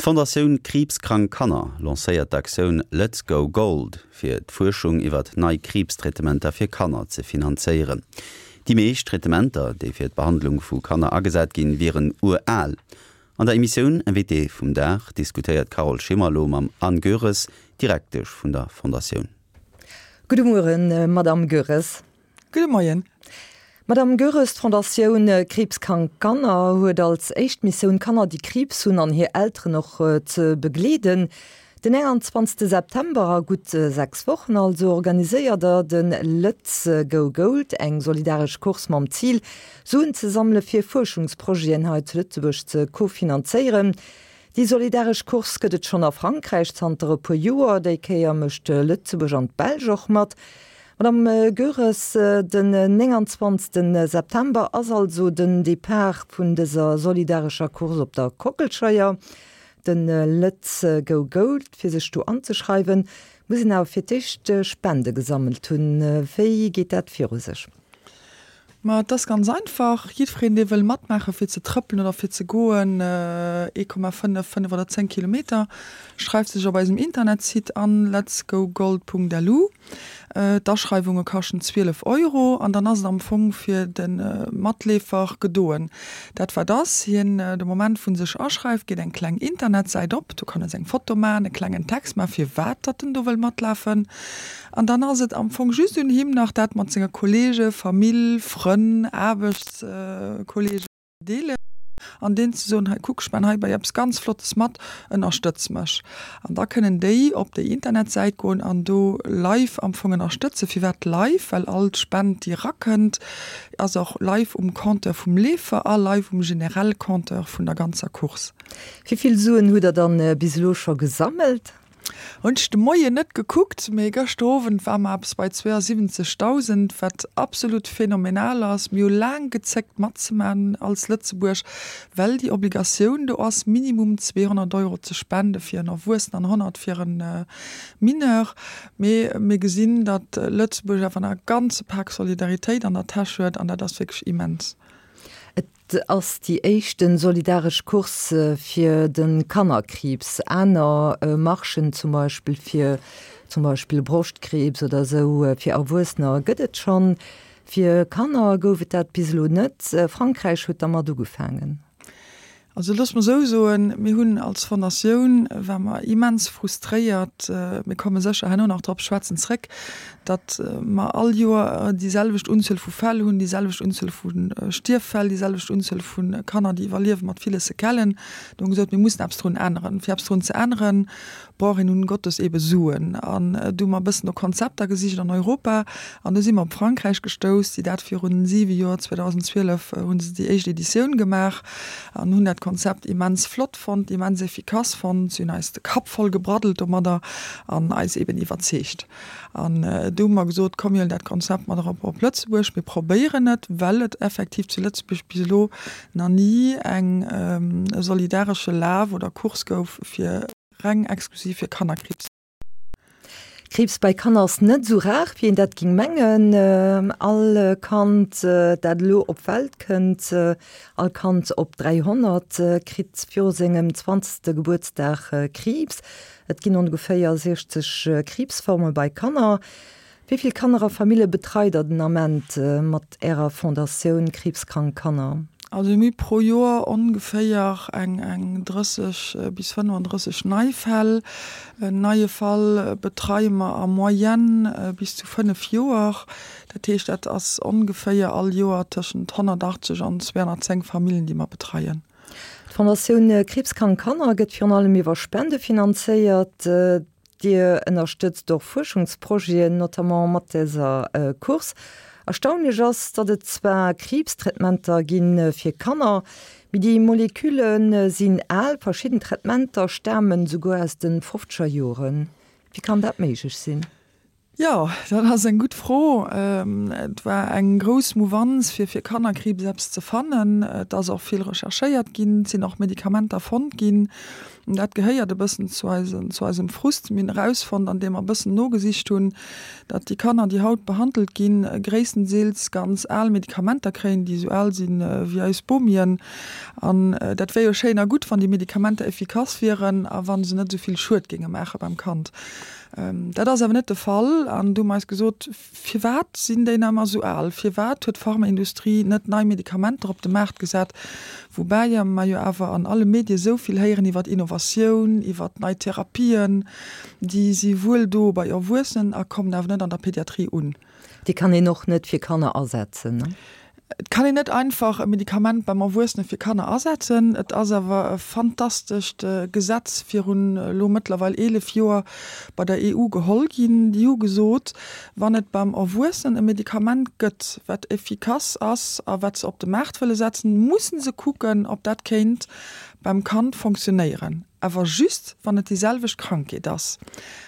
D'Fondatioun Kriibskrank Kanner lancéiert d'Aktioun Lëtz Go Gold, fir d'Fuerschung iwwert nei Kriibstraitementer fir Kanner ze finanzéieren. Déi meescht Traitementer, déi fir d'Behandlung vu Kanner agesat ginn, wieren ural. An der Emissioun Invité vum Dag diskutéiert d'Carole Schimmer elo mam Anne Goeres, Direktesch vun der Fondatioun. Gudde Mueren, Madamm Goeres. Gudde Moien. Madamm Goeres, d'Fondatioun Kriibskrank Kanner huet als éischt Missioun, Kanner, déi Kriibs hunn an hir Elteren och ze begleeden. Den 21 September, a gutt 6 Wochen also, organiséiert der de Lëtz Go Gold, eng solidaresch Course mam Zil, Suen ze sammele fir Fuerschungsprojeten hei zu Lëtzebuerg ze kofinanzéieren. Déi solidaresch Course gëtt et schonn a Frankräich zanter e puer Joer. Déi Kéier mécht Lëtzebuerg an d'Belsch och mat. Madame Goeres, den 29 September ass also den Depart vun dëser solidarescher Course op der Kockelscheier, de Lëtz Go Gold. Fir sech do anzeschreiwen, muss een awer fir d'éischt Spende gesammelt hunn. Wéi geet dat viru sech? Ma et ass ganz einfach, Jiddwereen, dee wëll matmaachen, fir ze trëppelen oder fir ze goen, 1,5, 5 oder 10 Kilometer, schreift sech op eisem Internetsite an, letsgogold.lu. D'Aschreiwunge kaschten 12 Euro an dann ass et am Fong fir de Matleefer gedoen. Dat wat ass, hien, de Moment wou en sech aschreift, geet eng kleng Internetsäit op, do kann e seng Foto maachen, e klengen Text maachen, firwat datt en do wëll matlafen. An dann ass et am Fong just un him nach, dat mat senge Kollege, Famill, Frënn, Aarbechtskolleegen ze deelen an deenen ze soen, hei kuck, ech man hei bei eppes ganz Flottes mat, ënnerstëtz mech. An da kënnen déi op déi Internetsäit goen an do live am Fong ënnerstëtzen. Firwat live? Well all d'Spend, déi erakënnt, ass och live um Compteur vum Leefer a live um generelle Compteur vun der ganzer Course. Wéi vill Suen hutt Der dann bis elo scho gesammelt? Hunn ech de Moien net gekuckt, mee gëschter Owend war mer eppes bei 72.000, wat absolut phänomenal ass. Mir hu laang gezéckt matzemaachen als Lëtzebuerg, well déi Obligatioun do ass, minimum 200 Euro ze spende fir en Erwuessenen an 100 fir e Mineur. Mee mir gesinn, datt Lëtzebuerg awer nach e ganze Pak Solidaritéit an der Täsch huet an dat ass wierklech immens. Et ass déi éischten solidaresch Course fir de Kannerkriibs. Aner Marchen, zum Beispill fir zum Beispill Broschtkriibs oder esou fir Erwuessener gëtt et schonn. Fir Kanner gouf et dat bis elo net. Frankräich huet dermat ugefaangen. Also looss mer esou soen, mir hunn als Fondatioun, ware mer immens frustréiert, mir komme sécher herno nach drop schwätzen zréck, datt mer all Joer déi selwecht Unzuel vu Fäll hunn, déi selwecht Unzuel vu Stierffäll, déi selwecht Unzuel vu Kanner, déi iwwerliewe mat ville Séquellen. Do hu mer gesot, mir mussen eppes drun änneren. Fir eppes drun ze änneren, brauch een nun Gottes ebe Suen. An du hu mer e bëssen no Konzepter gesicht an Europa an du si mer op Frankräich gestouss, déi dat virun siwe Joer, 2012 hu se déi éischt Editioun gemaach an hunn dat Konzept immens flott fonnt, immens efficace fonnt. Si hunn eis de Kapp voll gebraddelt domadder an eis eben iwwerzeegt. An du hu mer gesot, komm mir huelen dat Konzept mat erop op Lëtzebuerg, mir probéieren et, well et effektiv zu Lëtzebuerg bis elo nach ni eng e solidaresche Laf oder Course gouf fir reng exklusiv fir Kannerkriibs. Kriibs bei Kanner ass net esou rar, wéi een dat géing mengen. All Kand, dat elo op d'Welt kënnt, all Kand op 300 kritt viru sengem zwanzegste Gebuertsdag Kriibs. Et ginn ongeféier 60 Kriibsforme bei Kanner. Wéi vill Kanner a Famille betreit der den Ament mat Ärer Fondatioun Kriibskrank Kanner? Also mir hu pro Joer ongeféier eng 30 bis 35 nei Fäll. En neie Fall betreie mer a Moyenne bis zu 5 Joer. Dat heescht, dat ass ongeféier all Joer tëschent 180 an 210 Famillen, déi mer betreien. D'Fondatioun Kriibskrank Kanner gëtt virun allem iwwer Spende finanzéiert. Dir ënnerstëtzt och Fuerschungsprojeten, notamment mat dëser Course. Erstaunlech ass, datt et zwar Kriibstraitementer gi fir Kanner, mee déi Molekülle sinn al. Verschidden Traitementer stamen esouguer aus de fofzeger Joren. Wéi kann dat méiglech sinn? Jo, dat ass eng gutt Fro. Et war eng grouss Mouvanz, fir fir Kannerkriibs eppes ze fannen. Et ass och vill recherchéiert ginn, et sinn och Medikamenter fonnt ginn. Dat gehéiert e bëssen zu eisen, zu eisem Frust. Mir hunn erausfonnt, andeem mer e bëssen nogesicht hunn, datt déi Kanner, déi haut behandelt ginn, gréisstendeels ganz al Medikamenter kréien, déi esou al sinn wéi eis Bomien. An dat wär jo schéin a gutt, wann déi Medikamenter efficace wieren a wa se net esou vill Schued géinge maache beim Kand. Dat ass awer net de Fall. An du hu mer eis gesot, Firwat sinn déi nach ëmmer esou al? Firwat huet d'Pharmaindustrie net nei Medikamenter op de Maart gesat? Woubäi mer jo awer an alle Medie esou vill héieren iwwer Innovatioun, iwwer nei Therapien. Déi si wuel do bei Erwuessenen a kommen awer net an der Pediatrie un. Déi kann een och net fir Kanner asetzen, ne? Et kann een net einfach e Medikament beim Erwuessene fir Kanner asetzen. Et ass awer e fantastescht Gesetz virun elo mëttlerweil 11 Joer bei der EU geholl ginn. Déi hu gesot, wann et beim Erwuessenen e Medikament gëtt, wat effikass ass a wat se op de Maart wëlle setzen, musse se kucken, ob dat kéint beim Kand fonctionnéieren. Awer just, wann et déi selwecht Krankheet ass.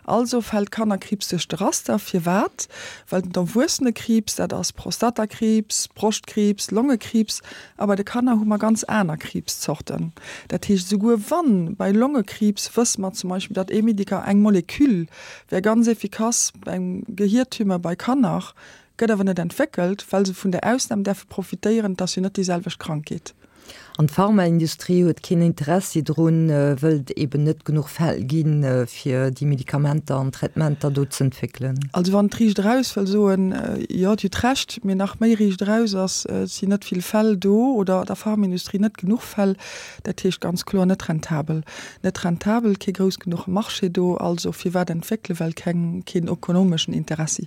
Also fält Kannerkriibs duerch de Raster. Firwat? Well den Erwuessenekriibs, dat ass Prostatakriibs, Broschtkriibs, Longekriibs, a bei de Kanner hu mer ganz aner Kriibszorten. Dat heescht, esouguer wann bei Longekriibs wësse mer zum Beispill, datt ee Medika, eng Molekül wär ganz efficace beim Gehiertumeur bei Kanner, gëtt awer net entwéckelt, well se vun der Ausnam däerfe profitéieren, et ass jo net déi selwecht Krankheet. An d'Pharmaindustrie huet keen Interessi drun, wëll et eben net genuch Fäll ginn, fir déi Medikamenter an Traitementer do z'entwéckelen. Also wann et riicht eraus wëll soen, jo, Dir hutt Recht, mee nach méi riicht eraus ass, et sinn net vill Fäll do oder der Pharmaindustrie net genuch Fäll, dat heescht ganz kloer net rentabel. Net rentabel, kee grouss genuche Marché do, also firwat entwéckelen, well keng, keen ökonomeschen Interessi.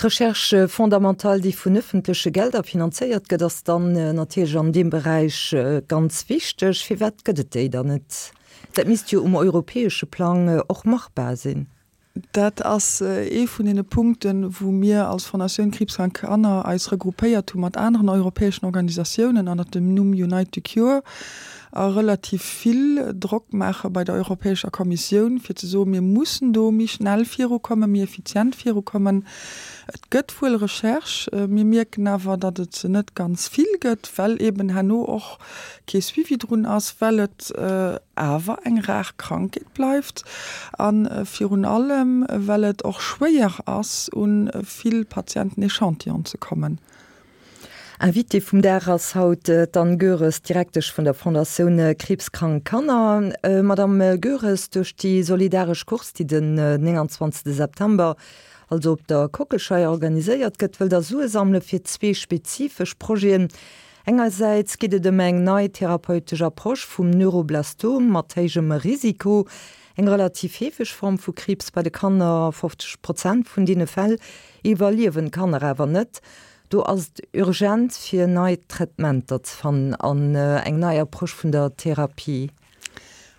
D'Recherche fondamentale, déi vun ëffentleche Gelder finanzéiert gëtt, ass dann natierlech an deem Beräich ganz wichteg. Firwat gëtt et déi dann net? Dat misst jo um europäesche Plang och machbar sinn. Dat ass ee vun deene Punkten, wou mir als Fondatioun Kriibskrank Kanner eis regroupéiert hu mat aneren europäeschen Organisatiounen ënnert dem Numm Unite to Cure a relativ vill Drock maache bei der Europäescher Kommissioun, fir ze soen, mir mussen do méi schnell virukommen, méi effizient virukommen. Et gëtt wuel Recherche, mir mierken awer, datt et se net ganz vill gëtt, well eben herno och kee Suivi drun ass, well et awer eng rar Krankheet bleift a virun allem, well et och schwéier ass, u vill Patienten Echantillonen ze kommen. Invitée vum Dag ass haut d'Anne Goeres, Direktesch vun der Fondatioun Kriibskrank Kanner. Madame Goeres, duerch déi solidaresch Course, déi den 29 September, also op der Kockelscheier organiséiert gëtt, wëllt der Sue sammele fir zwee spezifesch Projeten. Engersäits geet et ëm eng nei therapeutesch Approche vum Neuroblastom mat héijem Risiko, eng relativ heefeg Form vu Kriibs bei de Kanner, 50 Prozent vun deene Fäll iwwerliewen d'Kanner awer net. Do ass et urgent fir nei Traitementer ze fannen an eng nei Approche vun der Therapie.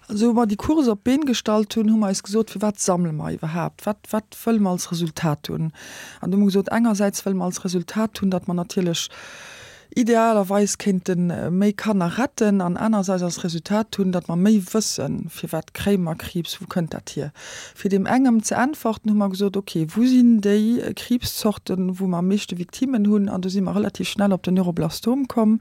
Also wou mer déi Course op d'Been gestallt hunn, hu mer eis gesot, firwat sammele mer iwwerhaapt, wat, wat wëlle mer als Resultat hunn? An do hu mer gesot, engersäits wëlle mer als Resultat hunn, datt mer natierlech idealerweis kéinte méi Kanner retten an anerersäits als Resultat hunn, datt mer méi wëssen, firwat kréie mer Kriibs, wou kënnt dat hier? Fir deem engem ze äntworten, hu mer gesot, ok, wou sinn déi Kriibszorten, wou mer am meeschte Victimmen hunn? An do si mer relativ schnell op den Neuroblastom komm.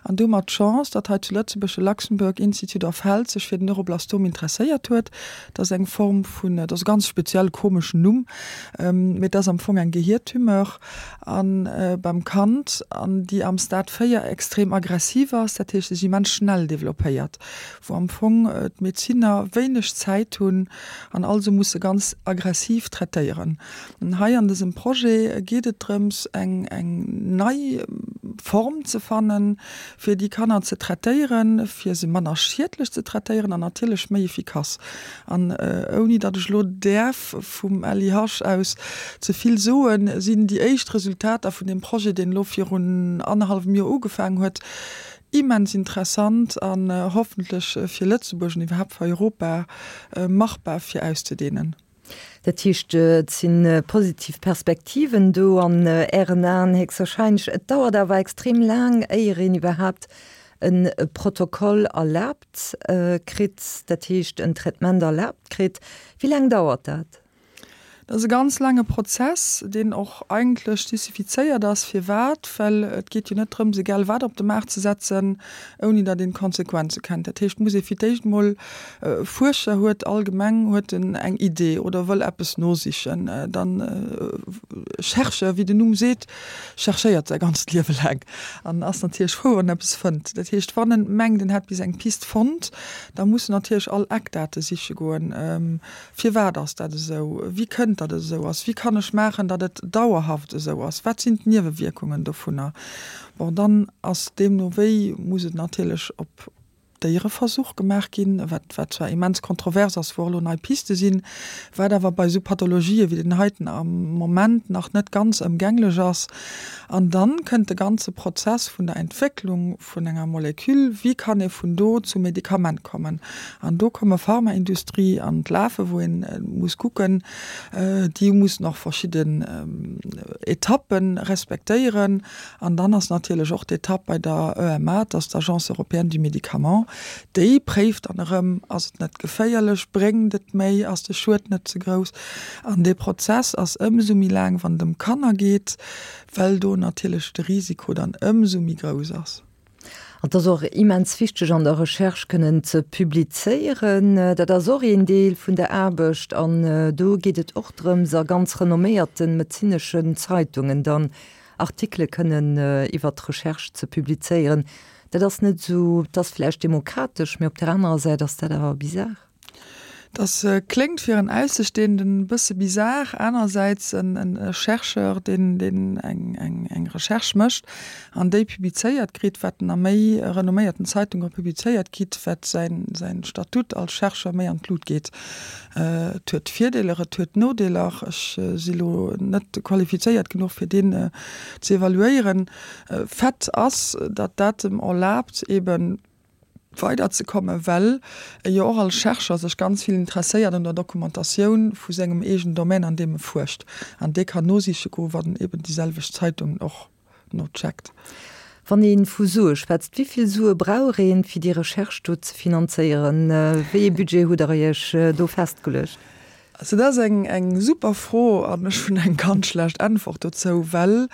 An do hu mer d'Chance, datt hei zu Lëtzebuerg de Luxembourg Institute of Health sech fir den Neuroblastom interesséiert huet. Dat ass eng Form vun, dat ass e ganz speziell komeschen Numm, mee et ass am Fong eng Gehiertumeur a beim Kand, an déi am Stade 4 extrem aggressiv ass, dat heescht sech immens schnell developpéiert. wou am Fong d'Medezinner wéineg Zäit hunn an also musse ganz aggressiv traitéieren. An hei an dësem Projet geet et drëms, eng eng nei Form ze fannen, fir déi Kanner ze traitéieren, fir se manner schiedlech ze traitéieren an natierlech méi efficace. An ouni datt ech elo däerf vum LIH aus ze vill soen, sinn déi éischt Resultater vun deem Projet, deen elo virun annerhallwem Joer ugefaangen huet, Immens interessant an hoffentlech fir Lëtzebuerg an iwwerhaapt fir Europa machbar fir auszedehnen. Dat heescht, et si positiv Perspektiven do an Ären Aen héchstwahrscheinlech. Et dauert awer extrem laang, éier een iwwerhaapt e Protokoll erlaabt kritt, dat heescht en Traitement erlaabt kritt. Wéi laang dauert dat? Dat ass e ganz laange Prozess, deen och eigentlech justifizéiert ass. Firwat? Well et geet jo net drëms, egal wat op de Maart ze setzen, ouni datt een d'Konsequenze kennt. Dat heescht, et muss ee fir d'éischt emol, e Fuerscher huet allgemeng huet en eng Idee oder wëll eppes nosichen, dann Chercheur, wéi den Numm seet, cherchéiert säi ganzt Liewe laang an ass natierlech frou, wann en eppes fënnt. Dat heescht, wann en mengt, en hätt bis eng Pist fonnt, da muss en natierlech all Eckdate siche goen. Firwat ass dat esou? Wéi kënnt datt et esou ass? Wéi kann ech maachen, datt et dauerhaft esou ass? Wat sinn d'Niewewierkungen dovunner? Bon, dann ass deemno wéi muss et natierlech op Déiereversuch gemaach ginn, wat wat zwar immens kontrovers ass, wou och elo nei Piste sinn, wat awer bei esou Pathologië wéi den heiten am Moment nach net ganz ëmgänglech ass. An dann kënnt de ganze Prozess vun der Entwécklung vun enger Moleküll, wéi kann ee vun do zum Medikament kommen? An do komme Pharmaindustrie an d'Lafe wou ee muss kucken, déi mussen och verschidden Etappe respektéieren. An dann ass natierlech och d'Etapp bei der EMA, dat ass d'Agence européenne du médicament, déi préift dann erëm, ass et net geféierlech, bréngt et méi, ass de Schued net ze grouss? An dee Prozess ass ëmsou méi laang, wann et ëm Kanner geet, well do natierlech de Risiko dann ëmsou méi grouss ass. An et ass och immens wichteg an der Recherche kënnen ze publizéieren. Dat ass och een Deel vun der Aarbecht an do geet et och drëms a ganz renomméierte medezineschen Zeitungen dann Artikele kënnen iwwert d'Recherche ze publizéieren. Dat ass net esou, dat ass vläicht demokratesch, mee op där anerer Säit ass dat awer bizar. Dass kléngt fir en Aussestehenden e bësse bizar, anersäits en Chercheur, deen deen eng eng eng Recherche mécht an déi publizéiert kritt, wat en a méi renomméierten Zeitunge publizéiert kritt, wat säin säin Statut als Chercheur méi an d'Lut geet. Et huet Virdeeler, et huet Nodeeler. Ech si lo net qualifizéiert genuch fir deen ze evaluéieren. Fait ass, datt dat em erlaabt eben, weider ze kommen, well e jo och als Chercheur sech ganz vill interesséiert un der Dokumentatioun vu sengem eegenen Domaine, an deem e fuerscht. An dee kann nosiche goen, wann en eben déi selwecht Zeitungen och nocheckt. Wann ee vu Sue schwätzt, wéi vill Sue brauch een, fir déi Recherche do ze finanzéieren? Wéi ee Budget hutt Der Iech do festgeluecht? Also dat ass eng eng super Fro an ech hunn eng ganz schlecht Äntwert dozou, well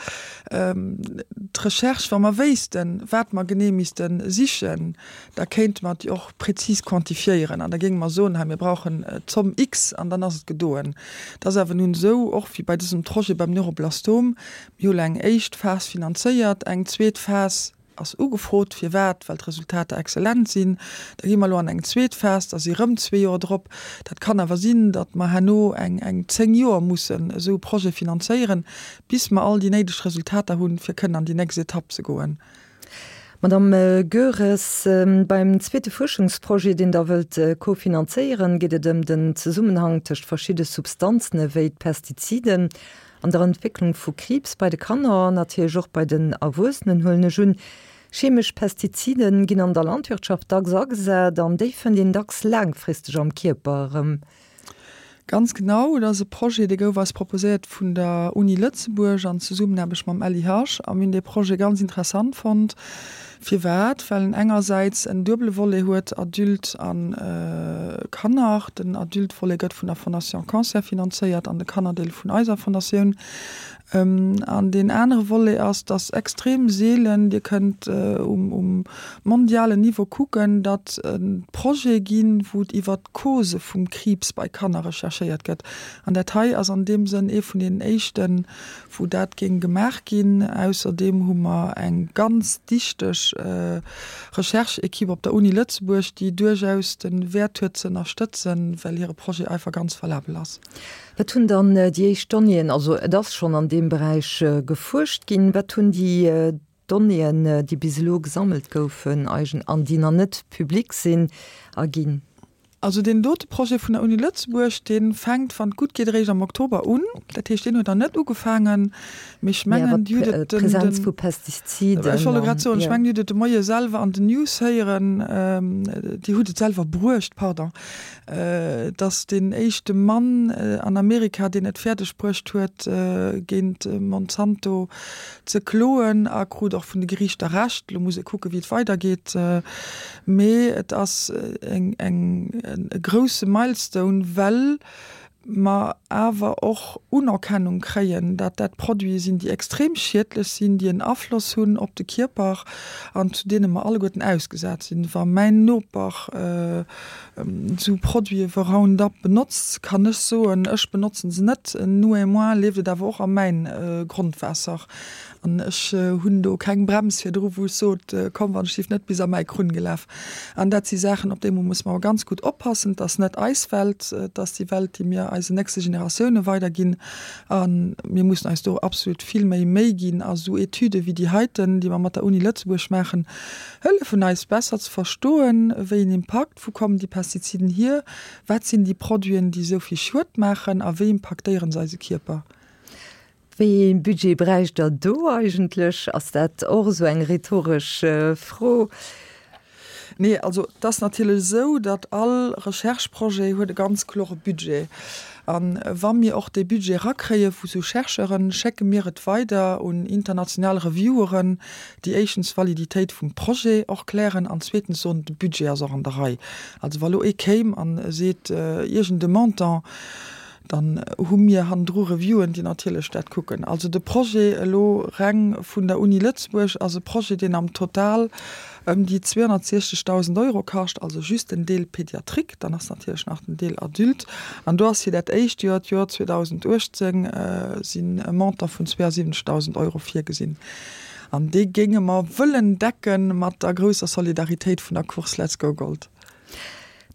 d'Recherche, wa mer wéissten, wat mer genee misste sichen, da kéinte mer déi och prezis quantifiéieren an da géinge mer soen, hei mir brauchen d'Zomm X an dann ass et gedoen. Et ass awer nun esou, och wéi bei dësem Projet beim Neuroblastom, mir hu lo eng éischt Phas finanzéiert, eng zweet Phas, Ass ugefrot. Firwat? Well d'Resultater exzellent sinn. Da gi mer elo an eng zweet Phas, da si rëm zwee Joer drop. Dat kann awer sinn, datt mer herno eng eng 10 Joer mussen esou e Projet finanzéieren, bis mer all déi néideg Resultater hunn, fir kënnen an déi nächst Etapp ze goen. Madame Goeres, beim zweete Fuerschungsprojet, deen Der wëllt kofinanzéieren, geet et ëm den Zesummenhang tëscht verschidde Substanzen ewéi d'Pestiziden An der Entwécklung vu Kriibs bei de Kanner an natierlech och bei den Erwuessenen, huelen ech un. Chemesch Pestizide ginn an der Landwirtschaft dacks agesat an déi fënnt een dacks laangfristeg am Kierper erëm. Ganz genau, et ass e Projet, dee gouf eis proposéiert vun der Uni Lëtzebuerg an Zesummenaarbecht mam LIH. A mir hunn dee Projet ganz interessant fonnt. Firwat? Well en engersäits en duebele Volet huet, Adulte a Kanner. Den Adulte-Volet gëtt vun der Fondation Cancer finanzéiert an de Kannerdeel vun eiser Fondatioun. An deen anere Volet ass, dass extrem seelen, Dir kënnt um mondialen Niveau kucken, datt et Projete ginn, wou et iwwert d'Cause vum Kriibs bei Kanner recherchéiert gëtt. An dat hei ass an deem Sënn ee vun deenen éischten, wou dat géing gemaach ginn. Ausserdeem hu mer eng ganz dichteg Recherche-Equipe op der Uni Lëtzebuerg, déi duerchaus de Wäert huet ze ënnerstëtzen, well hire Projet einfach ganz valabel ass. Wat hunn dann déi éischt Donnéeën, also et ass schonn an deem Beräich gefuerscht ginn, wat hunn déi Donnéeën, déi bis elo gesammelt goufen, an déi nach net public sinn, erginn? Also deen dote Projet vun der Uni Lëtzebuerg, dee fänkt, wann et gutt geet, eréischt am Oktober un. Dat heescht, deen huet nach net ugefaangen. Mee ech mengen, Dir hutt et den, D'Präsenz vu Pestiziden. Ech wollt elo grad soen, ech mengen, Dir hutt et de Moie selwer an den News héieren, Dir hutt et selwer bruecht, pardon, dass deen éischte Mann an Amerika, deen et fäerdeg bruecht huet, géint Monsanto ze kloen a krut och vun de Geriichter Recht. Elo muss ee kucken, wéi et weidergeet. Mee et ass eng, eng, e grousse Milestone, well. mer awer och Unerkennung kréien, dat dat Produite sinn, déi extrem schiedlech sinn, déi en Afloss hunn op de Kierper an zu deene mer alleguerten ausgesat sinn. Wa mäin Noper esou Produite wéi Roundup benotzt, kann ech soen, ech benotzen se net, néanmoins leeft et awer och a mäin Grondwaasser. An ech hunn do keng Brems virdru wou ech sot, komm wann ech lift net bis a mäi Krunn gelaf. An dat si Saachen, op déi muss mer ganz gutt oppassen. Et ass net eis Welt, et ass déi Welt, déi mir eisen nächste Generatioune weiderginn. A mir mussen eis do absolut vill méi Méi ginn. A sou Etüde wéi déi heiten, déi mer mat der Uni Lëtzebuerg maachen, hëllefen eis besser ze verstoen, wéi en Impakt, wou kommen déi Pestiziden hier, wat sinn déi Produiten, déi esou vill Schued maachen a wéi impaktéiere se eise Kierper. Wéi ee Budget bräicht Der do eigentlech? Ass dat och esou eng rhetoresch Fro? Nee, also et ass natierlech esou, datt all Recherche-Projet huet e ganz klore Budget. A wa mir och dee Budget erakréie vu sou Chercheuren, schécke mir et weider un international Revieweren, déi éischtens d'Validitéit vum Projet och klären an zweetens soen, de Budget ass och an der Rei. Also wa lo ee kéim a seet iergend e Montant, Dann hu mir hannendru Reviewen, déi natierlech dat kucken. Also de Projet elo reng vun der Uni Lëtzebuerg ass e Projet, deen am Total ëm déi 260.000 Euro kascht, also just den Deel Pédiatrique. Dann ass natierlech nach den Deel Adulte. An do ass fir dat éischt Joer, d'Joer 2018, sinn e Montant vun 72.000 Euro virgesinn. An dee géinge mer wëllen decke mat der grousser Solidaritéit vun der Course Let's Go Gold.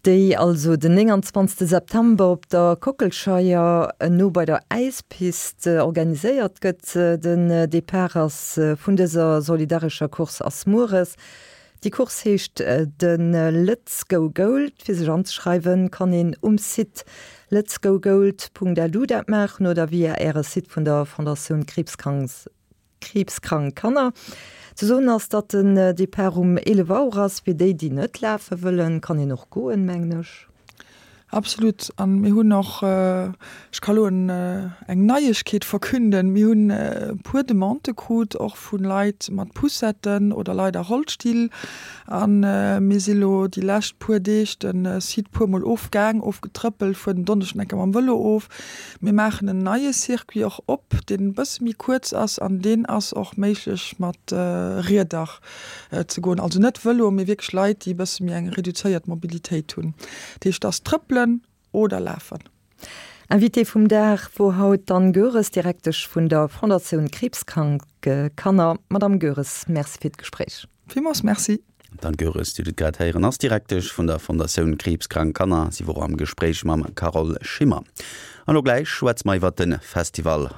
Déi also den 29 September op der Kockelscheier no bei der Äispist organiséiert gëtt. Den Depart ass vun dëser solidarescher Course ass mueres. Déi Course heescht de Lëtz Go Gold. Fir sech anzeschreiwen kann een um Site letsgogold.lu dat maachen oder via äre Site vun der Fondatioun Kriibskrank. Kriibskrank Kanner. Ze soen ass, datt den Depart um 11 Auer ass. Fir déi, déi net lafe wëllen, kann een och goen, mengen ech. Absolut. A mir hunn och, ech ka lo eng Neiegkeet verkünden, mir hunn e puer Demandë krut, och vu Leit mat Poussetten oder Leit a Rollstill. A mir si lo déi lescht puer Deeg de Site puermol ofgaang, ofgetrëppelt, fueren den Donneschden eng Kéier mam Vëlo of. Mir maachen en neie Circuit och op, deen e bësse méi kuerz ass an deen ass och méiglech mat Rieder ze goen. Also net Vëlo, mee wierklech Leit, déi e bësse méi eng reduzéiert Mobilitéit hunn. Dat heescht, et ass trëppelen oder lafen. Invitée vum Dag wor haut d'Anne Goeres, Direktesch vun der Fondatioun Kriibskrank Kanner. Madame Goeres, Merci fir d'Gespréich. Villmools Merci. D'Anne Goeres, Dir hutt et grad héieren, ass Direktesch vun der Fondatioun Kriibskrank Kanner. Si wor am Gespréich mam Carole Schimmer. An elo gläich schwätze mer iwwert de Festival.